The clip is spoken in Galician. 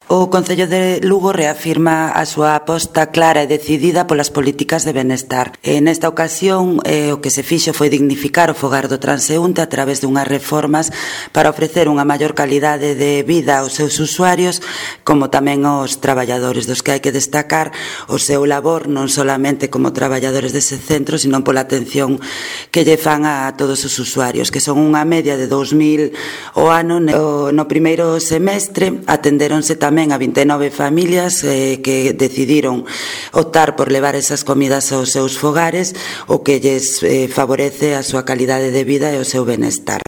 O Concello de Lugo reafirma a súa aposta clara e decidida polas políticas de benestar. Nesta ocasión, o que se fixo foi dignificar o fogar do transeúnte a través dunhas reformas para ofrecer unha maior calidade de vida aos seus usuarios, como tamén aos traballadores, dos que hai que destacar o seu labor non solamente como traballadores dese centro, sino pola atención que lle fan a todos os usuarios, que son unha media de 2.000 o ano. No primeiro semestre atendéronse tamén a 29 familias que decidiron optar por levar esas comidas aos seus fogares, o que lles favorece a súa calidade de vida e o seu benestar.